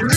El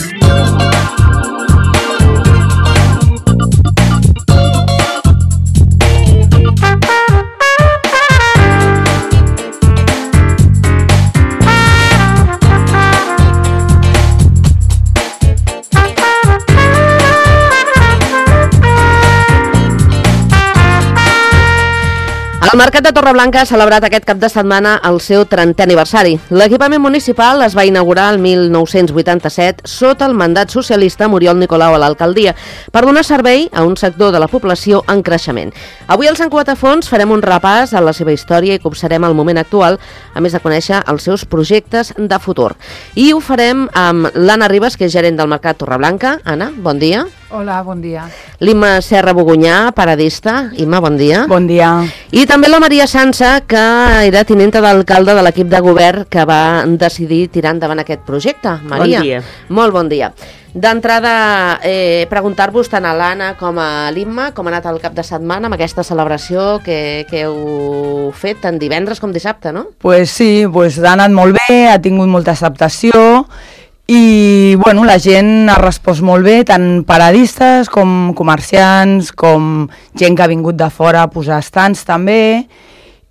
Mercat de Torreblanca ha celebrat aquest cap de setmana el seu 30è aniversari. L'equipament municipal es va inaugurar el 1987 sota el mandat socialista Muriol Nicolau a l'alcaldia per donar servei a un sector de la població en creixement. Avui al Sant Cugat a Fons farem un repàs a la seva història i copsarem el moment actual, a més de conèixer els seus projectes de futur. I ho farem amb l'Anna Ribas, que és gerent del Mercat Torreblanca. Anna, bon dia. Hola, bon dia. L'Imma Serra Bogunyà, paradista. Imma, bon dia. Bon dia. I també la Maria Sansa, que era tinenta d'alcalde de l'equip de govern que va decidir tirar endavant aquest projecte. Maria, bon dia. Molt bon dia. D'entrada, preguntar-vos tant a l'Anna com a l'Imma com ha anat el cap de setmana amb aquesta celebració que heu fet tant divendres com dissabte, no? Pues sí, ha anat molt bé, ha tingut molta acceptació i bueno, la gent ha respost molt bé, tant paradistes com comerciants, com gent que ha vingut de fora a posar estants també,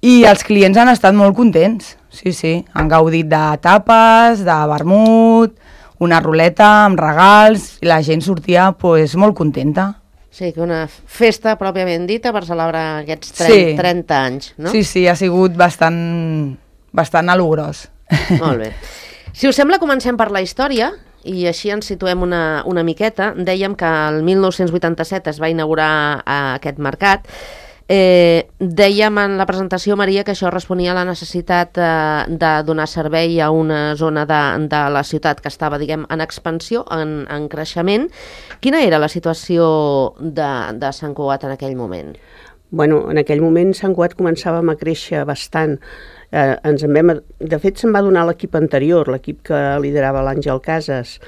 i els clients han estat molt contents, sí, han gaudit de tapes, de vermut, una ruleta amb regals, i la gent sortia molt contenta. Sí, que una festa pròpiament dita per celebrar aquests 30 anys, no? Sí, ha sigut bastant alogrós. Molt bé. Si us sembla, comencem per la història i així ens situem una miqueta. Dèiem que el 1987 es va inaugurar aquest mercat. Dèiem en la presentació, Maria, que això responia a la necessitat de donar servei a una zona de la ciutat que estava, diguem, en expansió, en creixement. Quina era la situació de Sant Cugat en aquell moment? Bueno, en aquell moment Sant Cugat començàvem a créixer bastant. De fet, se'n va donar l'equip anterior, l'equip que liderava l'Àngel Casas,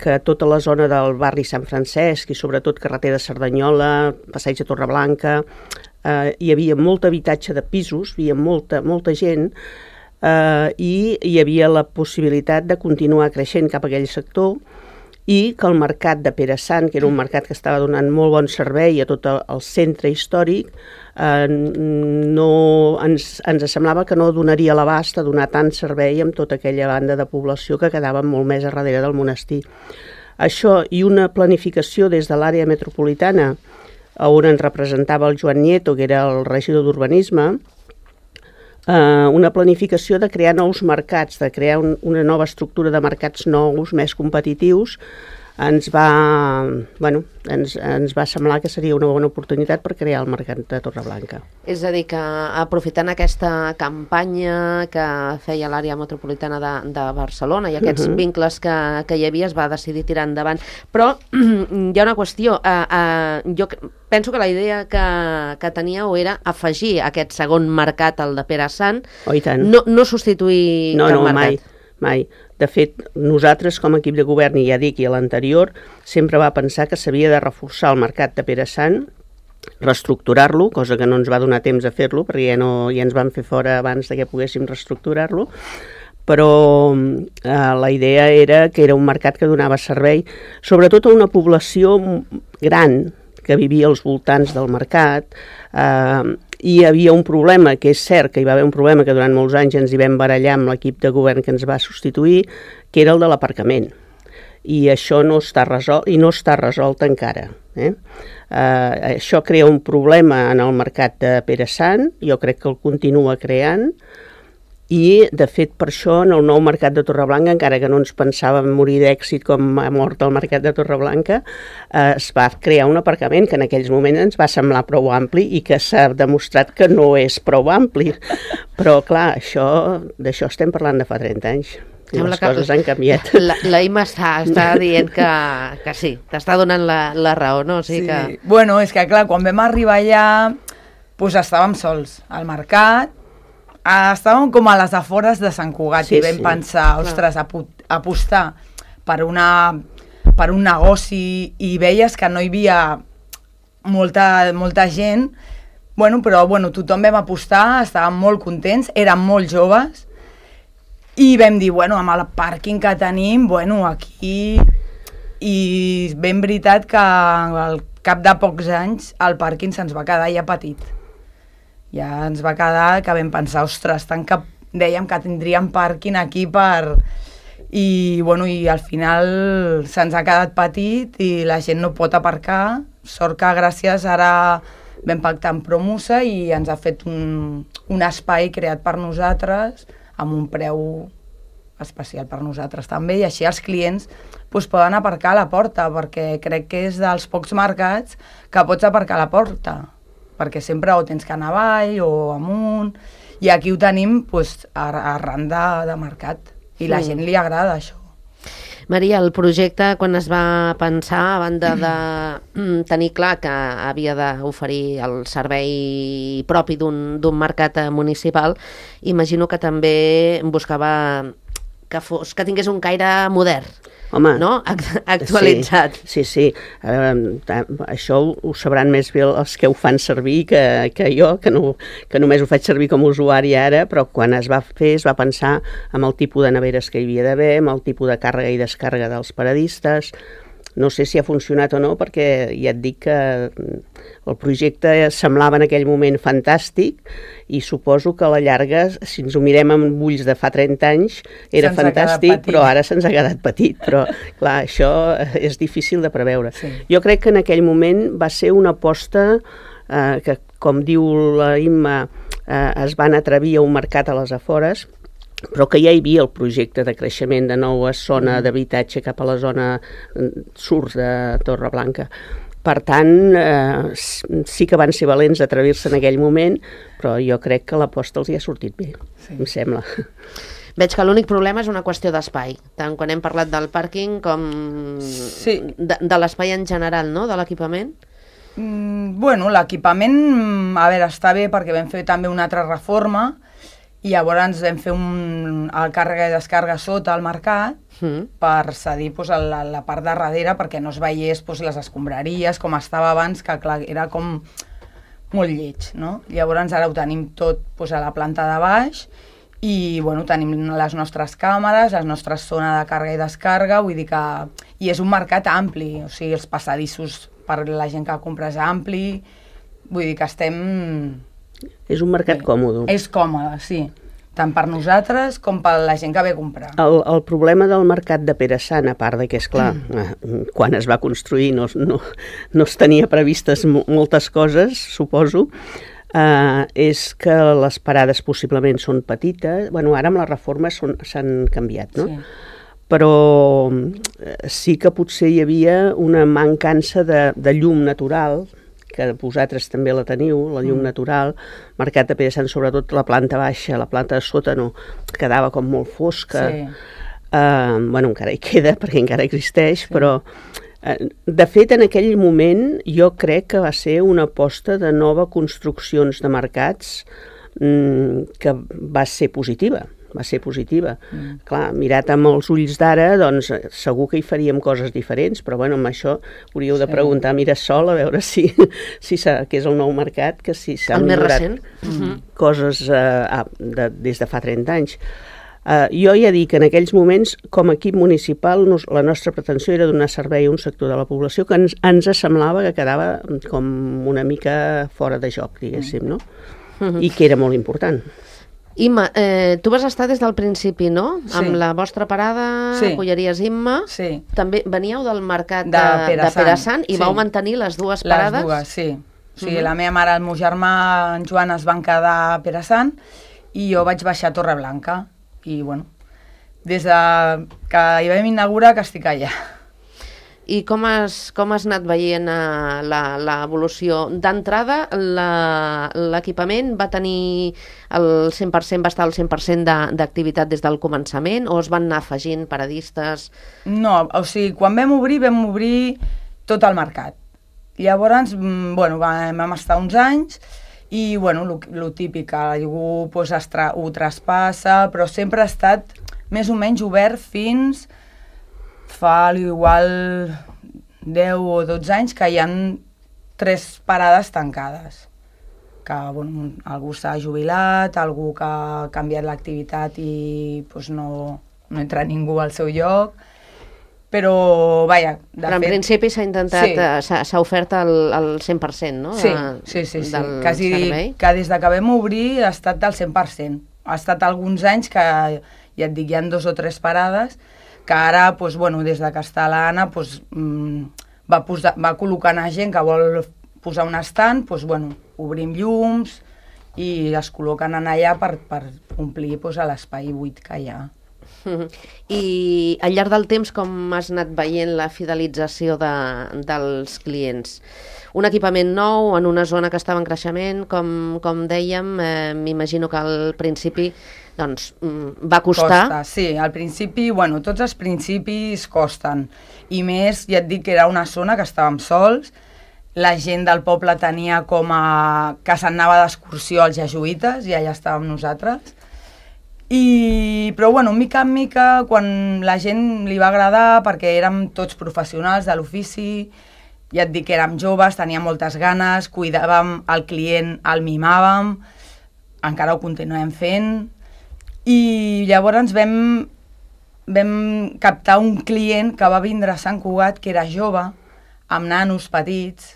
que tota la zona del barri Sant Francesc i sobretot carretera de Cerdanyola, passeig de Torreblanca, hi havia molt habitatge de pisos, hi havia molta gent, i hi havia la possibilitat de continuar creixent cap a aquell sector, i que el mercat de Pere Sant, que era un mercat que estava donant molt bon servei a tot el centre històric, ens semblava que no donaria l'abast a donar tant servei amb tota aquella banda de població que quedava molt més a darrere del monestir. Això i una planificació des de l'àrea metropolitana, on ens representava el Joan Nieto, que era el regidor d'Urbanisme, una planificació de crear nous mercats, de crear una nova estructura de mercats nous, més competitius, ens va semblar que seria una bona oportunitat per crear el mercat de Torreblanca. És a dir, que aprofitant aquesta campanya que feia l'àrea metropolitana de Barcelona i aquests vincles que hi havia, es va decidir tirar endavant. Però hi ha una qüestió. Jo penso que la idea que teníeu era afegir aquest segon mercat, el de Pere Sant, no substituir cap mercat. Mai. De fet, nosaltres com a equip de govern, i ja dic, i a l'anterior, sempre va pensar que s'havia de reforçar el mercat de Pere Sant, reestructurar-lo, cosa que no ens va donar temps a fer-lo, perquè ja ens van fer fora abans que poguéssim reestructurar-lo, però la idea era que era un mercat que donava servei, sobretot a una població gran que vivia als voltants del mercat, i hi havia un problema, que és cert que hi va haver un problema que durant molts anys ens hi vam barallar amb l'equip de govern que ens va substituir, que era el de l'aparcament. I això no està resolt, i no està resolt encara. Això crea un problema en el mercat de Pere Sant, jo crec que el continua creant, i de fet per això en el nou mercat de Torreblanca, encara que no ens pensàvem morir d'èxit com ha mort el mercat de Torreblanca, es va crear un aparcament que en aquells moments ens va semblar prou ampli i que s'ha demostrat que no és prou ampli. Però clar, d'això estem parlant de fa 30 anys. I les coses han canviat. La Imma està dient que sí, t'està donant la raó, no? Sí. Bueno, és que clar, quan vam arribar allà, estàvem sols al mercat, estàvem com a les afores de Sant Cugat i vam pensar, ostres, apostar per un negoci i veies que no hi havia molta gent, però tothom vam apostar, estàvem molt contents, érem molt joves I vam dir, bueno, amb el pàrquing que tenim, bueno, aquí... I ben veritat que al cap de pocs anys el pàrquing se'ns va quedar ja petit. Ja ens va quedar que vam pensar, ostres, tant que dèiem que tindríem pàrquing aquí per... I, bueno, i al final se'ns ha quedat petit i la gent no pot aparcar. Sort que gràcies ara vam pactar amb Promusa i ens ha fet un espai creat per nosaltres amb un preu especial per nosaltres també, i així els clients poden aparcar a la porta, perquè crec que és dels pocs mercats que pots aparcar a la porta, perquè sempre o tens que anar avall o amunt, i aquí ho tenim arran de mercat, i la gent li agrada això. Maria, el projecte, quan es va pensar, a banda de tenir clar que havia d'oferir el servei propi d'un mercat municipal, imagino que també buscava que tingués un caire modern. Home, no? Actualitzat. Sí. Això ho sabran més bé els que ho fan servir que jo, que només ho faig servir com a usuari ara, però quan es va fer es va pensar en el tipus de neveres que hi havia d'haver, en el tipus de càrrega i descàrrega dels paradistes. No sé si ha funcionat o no, perquè ja et dic que el projecte semblava en aquell moment fantàstic i suposo que a la llarga, si ens ho mirem amb ulls de fa 30 anys, era fantàstic, però ara se'ns ha quedat petit. Però, clar, això és difícil de preveure. Sí. Jo crec que en aquell moment va ser una aposta que, com diu la Imma, es van atrevir a un mercat a les afores, però que ja hi havia el projecte de creixement de nova zona d'habitatge cap a la zona sud de Torreblanca. Per tant, sí que van ser valents d'atrevir-se en aquell moment, però jo crec que l'aposta els hi ha sortit bé, em sembla. Veig que l'únic problema és una qüestió d'espai, tant quan hem parlat del pàrquing com de l'espai en general, no?, de l'equipament. Bueno, l'equipament, a veure, està bé perquè vam fer també una altra reforma, i llavors vam fer el càrrega i descàrrega sota al mercat per cedir la part de darrere perquè no es veiés les escombraries com estava abans, que clar, era com molt lleig, no? Llavors ara ho tenim tot a la planta de baix i bueno, tenim les nostres càmeres, la nostra zona de càrrega i descàrrega, vull dir que... I és un mercat ampli, o sigui, els passadissos per la gent que compra és ampli, vull dir que estem... És un mercat còmode. És còmode, sí. Tant per nosaltres com per la gent que ve a comprar. El problema del mercat de Pere Sant, a part de que, esclar, quan es va construir no es tenia previstes moltes coses, suposo, és que les parades possiblement són petites. Bueno, ara amb la reforma s'han canviat, no? Sí. Però sí que potser hi havia una mancança de llum natural, que vosaltres també la teniu, la llum natural, mercat de Pere Sant, sobretot la planta baixa, la planta de sota no, quedava com molt fosca. Sí. Bueno, encara hi queda, perquè encara existeix, sí. Però de fet en aquell moment jo crec que va ser una aposta de nova construccions de mercats que va ser positiva. Clar, mirat amb els ulls d'ara, doncs segur que hi faríem coses diferents, però bueno, amb això hauríeu de preguntar a Mirasol a veure si que és el nou mercat, que si s'han millorat coses des de fa 30 anys. Jo ja dic que en aquells moments, com a equip municipal, la nostra pretensió era donar servei a un sector de la població que ens semblava que quedava com una mica fora de joc, diguéssim, no? I que era molt important. Imma, tu vas estar des del principi, no? Sí. Amb la vostra parada, Polleries Imma. Sí. També veníeu del mercat de Pere Sant i vau mantenir les dues parades? Les dues, sí. O sigui, la meva mare i el meu germà, en Joan, es van quedar a Pere Sant i jo vaig baixar a Torreblanca. I, bueno, des que hi vam inaugurar que estic allà. I com has anat veient l'evolució? D'entrada, l'equipament va tenir el 100%, va estar al 100% d'activitat des del començament, o es van anar afegint paradistes? No, o sigui, quan vam obrir tot el mercat. Llavors, bueno, vam estar uns anys i, bueno, lo típic, algú ho traspassa, però sempre ha estat més o menys obert fins... Fa igual 10 o 12 anys que hi ha 3 parades tancades. que bueno, algú s'ha jubilat, algú que ha canviat l'activitat i pues, no entra ningú al seu lloc, però, vaja, però en principi s'ha intentat, s'ha ofert el 100%, no? Sí. Quasi que des que vam obrir ha estat del 100%. Ha estat alguns anys que, ja et dic, hi ha 2 o 3 parades, que ara, pues, bueno, des que està l'Anna, pues, va col·locant a gent que vol posar un estand, pues, bueno, obrim llums i es col·loquen allà per omplir pues, l'espai buit que hi ha. I al llarg del temps com has anat veient la fidelització dels clients? Un equipament nou en una zona que estava en creixement, com dèiem, m'imagino que al principi doncs, va costar. Costa, sí, al principi, bueno, tots els principis costen, i més, ja et dic que era una zona que estàvem sols, la gent del poble tenia com a... que s'anava d'excursió als jesuïtes i allà estàvem nosaltres. Però bueno, mica en mica, quan la gent li va agradar, perquè érem tots professionals de l'ofici, ja et dic que érem joves, teníem moltes ganes, cuidàvem el client, el mimàvem, encara ho continuem fent, i llavors vam captar un client que va vindre a Sant Cugat, que era jove, amb nanos petits,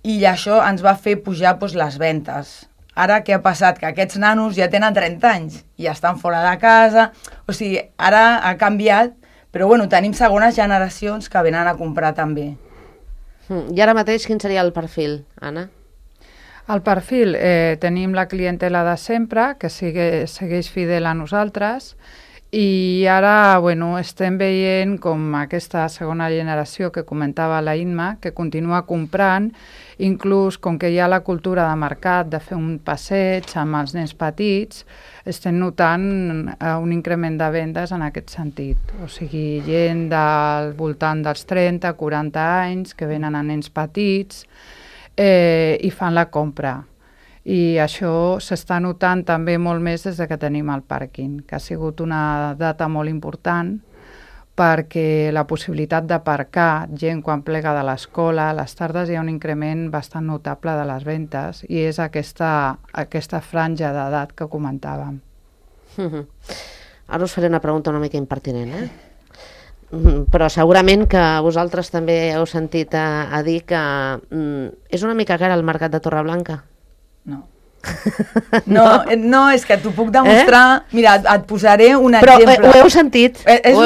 i això ens va fer pujar doncs, les ventes. Ara què ha passat? Que aquests nanos ja tenen 30 anys i estan fora de casa, o sigui, ara ha canviat, però bueno, tenim segones generacions que venen a comprar també. I ara mateix quin seria el perfil, Anna? El perfil, tenim la clientela de sempre, que segueix fidel a nosaltres, i ara bueno, estem veient com aquesta segona generació que comentava la Imma, que continua comprant, inclús com que hi ha la cultura de mercat de fer un passeig amb els nens petits, estem notant un increment de vendes en aquest sentit. O sigui, gent del voltant dels 30-40 anys que venen a nens petits i fan la compra. I això s'està notant també molt més des que tenim el pàrquing, que ha sigut una data molt important perquè la possibilitat d'aparcar gent quan plega de l'escola, a les tardes hi ha un increment bastant notable de les ventes i és aquesta franja d'edat que comentàvem. Ara us faré una pregunta una mica impertinent, però segurament que vosaltres també heu sentit a dir que és una mica cara el mercat de Torreblanca. No, és que t'ho puc demostrar. Mira, et posaré un exemple. Però ho heu sentit. És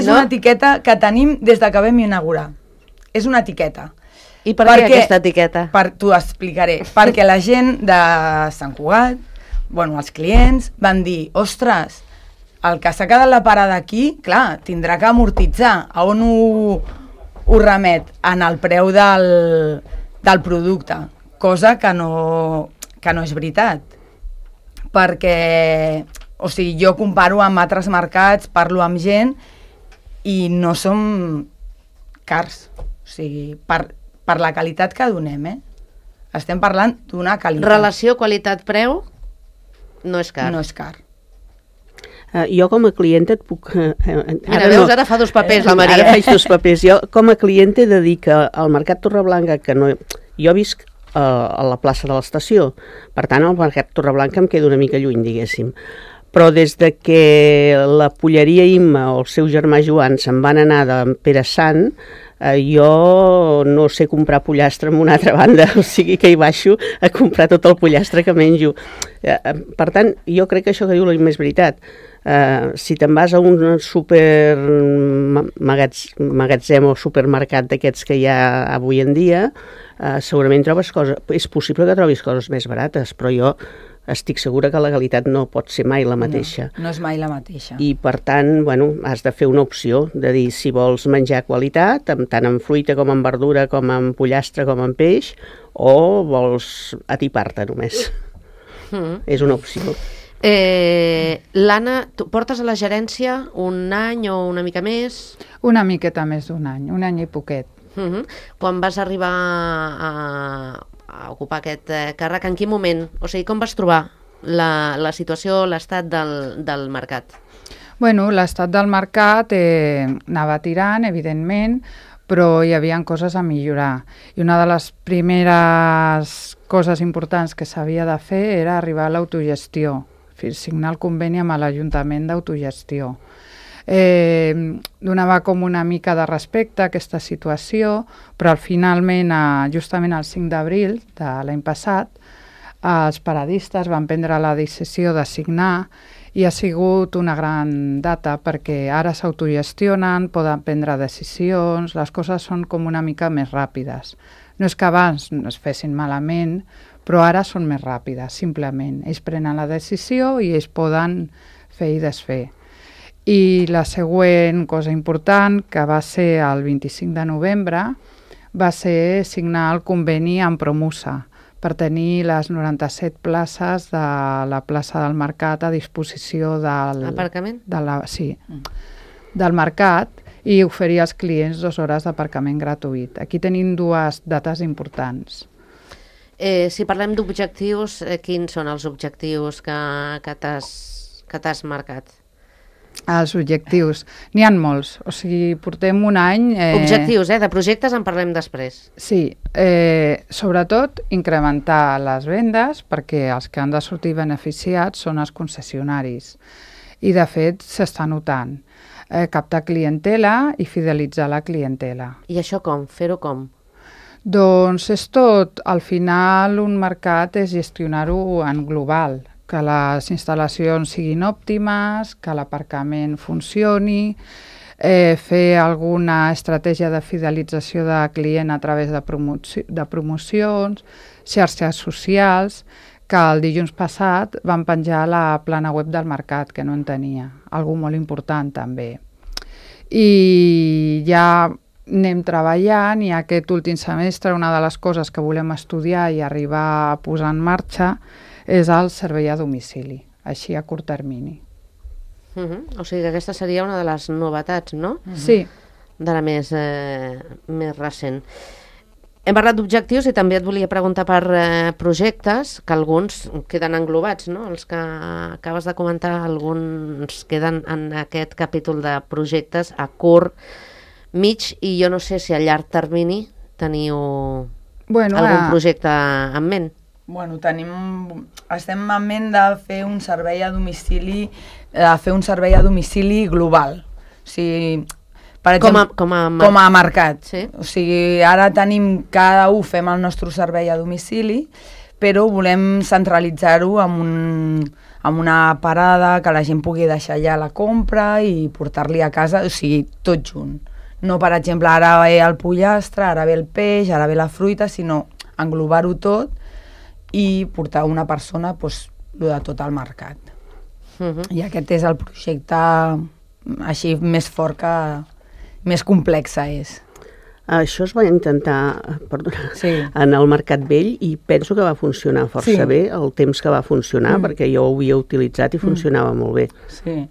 una etiqueta que tenim des que vam inaugurar. És una etiqueta. I per què aquesta etiqueta? T'ho explicaré. Perquè la gent de Sant Cugat, bueno, els clients, van dir, ostres, el que s'ha quedat la parada aquí, clar, tindrà que amortitzar. A on ho remet? En el preu del producte. Cosa que no és veritat, perquè, o sigui, jo comparo amb altres mercats, parlo amb gent i no som cars, o sigui, per la qualitat que donem, estem parlant d'una qualitat. Relació qualitat-preu no és car. No és car. Jo com a clienta et puc... Mira, veus, ara fa 2 papers la Maria. Ara faig 2 papers. Jo com a clienta he de dir que al Mercat Torreblanca, que no... Jo visc a la plaça de l'estació, per tant el Mercat Torreblanca em queda una mica lluny, diguéssim. Però des de que la polleria Imma o el seu germà Joan se'n van anar de Pere Sant, jo no sé comprar pollastre en una altra banda, o sigui que hi baixo a comprar tot el pollastre que menjo. Per tant, jo crec que això que diu la Imma és veritat. Si te'n vas a un magatzem o supermercat d'aquests que hi ha avui en dia, segurament trobes coses, és possible que trobis coses més barates, però jo estic segura que la qualitat no pot ser mai la mateixa. No és mai la mateixa. I per tant, bueno, has de fer una opció de dir si vols menjar qualitat, tant en fruita com en verdura, com en pollastre, com en peix, o vols atipar-te només. És una opció. L'Anna, tu portes a la gerència un any o una mica més? Una miqueta més d'un any i poquet. Quan vas arribar a ocupar aquest càrrec, en quin moment? O sigui, com vas trobar la situació, l'estat del mercat? Bueno, l'estat del mercat anava tirant, evidentment, però hi havia coses a millorar. I una de les primeres coses importants que s'havia de fer era arribar a l'autogestió, signar el conveni amb l'Ajuntament d'autogestió. Donava com una mica de respecte a aquesta situació, però finalment, justament el 5 d'abril de l'any passat, els paradistes van prendre la decisió de signar i ha sigut una gran data perquè ara s'autogestionen, poden prendre decisions, les coses són com una mica més ràpides. No és que abans no es fessin malament, però ara són més ràpides, simplement. Ells prenen la decisió i ells poden fer i desfer. I la següent cosa important, que va ser el 25 de novembre, va ser signar el conveni amb Promusa per tenir les 97 places de la plaça del Mercat a disposició del... Aparcament? Sí, del Mercat, i oferir als clients 2 hores d'aparcament gratuït. Aquí tenim 2 dates importants. Si parlem d'objectius, quins són els objectius que t'has marcat? Els objectius. N'hi ha molts. O sigui, portem un any... Objectius, de projectes en parlem després. Sí. Sobretot, incrementar les vendes perquè els que han de sortir beneficiats són els concessionaris. I, de fet, s'està notant. Captar clientela i fidelitzar la clientela. I això com? Fer-ho com? Doncs és tot. Al final, un mercat és gestionar-ho en global, que les instal·lacions siguin òptimes, que l'aparcament funcioni, fer alguna estratègia de fidelització de client a través de promocions, xarxes socials, que el dilluns passat van penjar la plana web del mercat, que no en tenia, algo molt important també. I ja anem treballant i aquest últim semestre una de les coses que volem estudiar i arribar a posar en marxa és el servei a domicili, així a curt termini. O sigui que aquesta seria una de les novetats, no? Sí. De la més recent. Hem parlat d'objectius i també et volia preguntar per projectes, que alguns queden englobats, no? Els que acabes de comentar, alguns queden en aquest capítol de projectes a curt, mig, i jo no sé si a llarg termini teniu algun projecte en ment. Bueno, estem en ment de fer un servei a domicili, global. O sigui, per exemple, com a mercat. Sí. O sigui, ara cada un fem el nostre servei a domicili, però volem centralitzar-ho amb una parada que la gent pugui deixar allà la compra i portar-li a casa, o sigui, tot junt. No, per exemple, ara ve el pollastre, ara ve el peix, ara ve la fruita, sinó englobar-ho tot i portar una persona de tot el mercat. I aquest és el projecte així més fort més complexa és. Això es va intentar en el Mercat Vell i penso que va funcionar força bé el temps que va funcionar, perquè jo ho havia utilitzat i funcionava molt bé. Sí.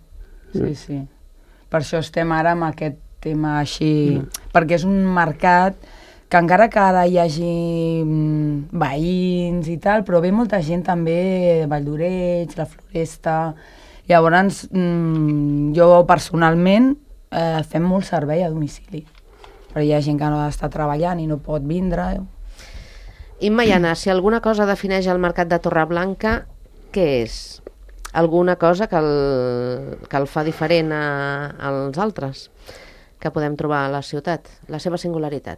Per això estem ara amb aquest tema així, perquè és un mercat que encara que ara hi hagi veïns i tal, però ve molta gent també, Vall d'Oreig, la Floresta. Llavors, jo personalment fem molt servei a domicili, però hi ha gent que no està treballant i no pot vindre. Imma i Anna, si alguna cosa defineix el mercat de Torreblanca, què és? Alguna cosa que el fa diferent als altres que podem trobar a la ciutat, la seva singularitat?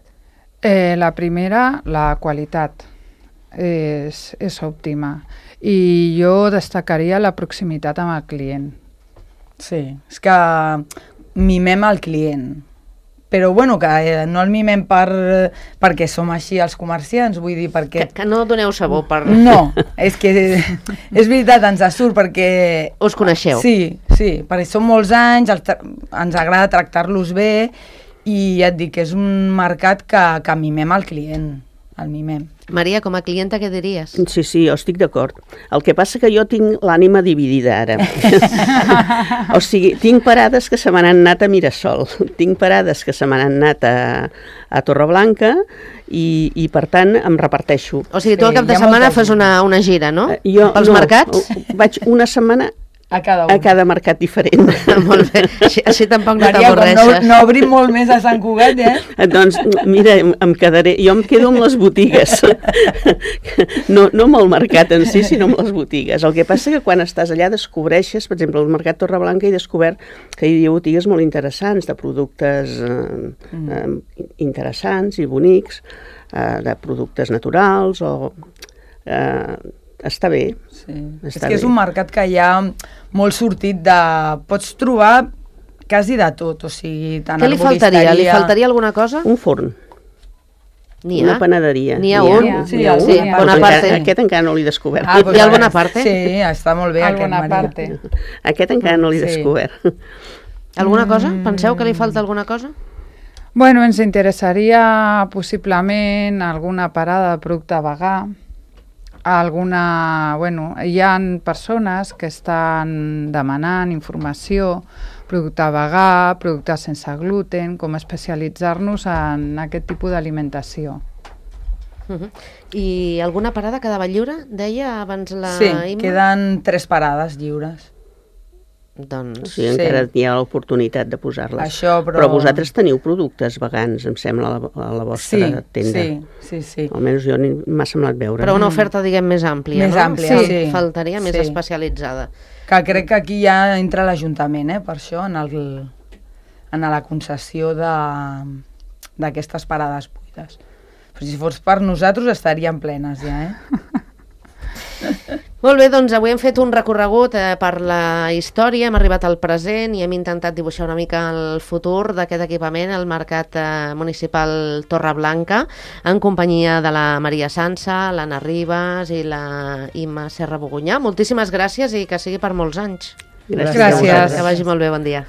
La primera, la qualitat és òptima i jo destacaria la proximitat amb el client. Sí, és que mimem el client, però bueno, que no el mimem perquè som així els comerciants, vull dir, perquè... Que no doneu sabó per... No, és que és veritat, ens surt perquè... Us coneixeu. Sí, perquè som molts anys, ens agrada tractar-los bé i et dic que és un mercat que mimem el client, el mimem. Maria, com a clienta, què diries? Sí, jo estic d'acord. El que passa que jo tinc l'ànima dividida ara. O sigui, tinc parades que se m'han anat a Mirasol, tinc parades que se m'han anat a Torreblanca i per tant em reparteixo. O sigui, tu al cap de setmana fas una gira, no? Pels mercats? Vaig una setmana A cada un. A cada mercat diferent. Molt bé, així tampoc no Maria, com t'avorreixes. no obrim molt més a Sant Cugat, Doncs, mira, jo em quedo amb les botigues. No amb el mercat en si, sinó amb les botigues. El que passa que quan estàs allà descobreixes, per exemple, al Mercat Torreblanca he descobert que hi havia botigues molt interessants, de productes interessants i bonics, de productes naturals, està bé. Sí. És que és un mercat que hi ha molt sortit de... Pots trobar quasi de tot, o sigui, tant Què li faltaria? Li faltaria alguna cosa? Un forn. N'hi ha? Una panaderia. N'hi ha un? Sí, sí, Bonaparte. Aquest encara no l'he descobert. Hi ha el Bonaparte? Sí, està molt bé aquest, Bonaparte. Maria. Aquest encara no l'he descobert. Alguna cosa? Penseu que li falta alguna cosa? Bueno, ens interessaria possiblement alguna parada de producte vegà, hi ha persones que estan demanant informació, producte vegà, productes sense gluten, com especialitzar-nos en aquest tipus d'alimentació. I alguna parada quedava lliure, deia abans la Sí, Imma? queden 3 parades lliures. Doncs... Sí, encara hi ha l'oportunitat de posar-les. Això, però vosaltres teniu productes vegans, em sembla, a la vostra tenda. Sí. Almenys jo m'ha semblat veure. Però una oferta, diguem, més àmplia, Més no? àmplia, sí. Faltaria més Sí. especialitzada. Que crec que aquí ja entra l'Ajuntament, per això, en la concessió d'aquestes parades buides. Però si fos per nosaltres estarien plenes ja, Molt bé, doncs avui hem fet un recorregut per la història, hem arribat al present i hem intentat dibuixar una mica el futur d'aquest equipament, el Mercat Municipal Torreblanca, en companyia de la Maria Sansa, l'Anna Ribas i la Imma Serra Bogunyà. Moltíssimes gràcies i que sigui per molts anys. Gràcies. Que vagi molt bé, bon dia.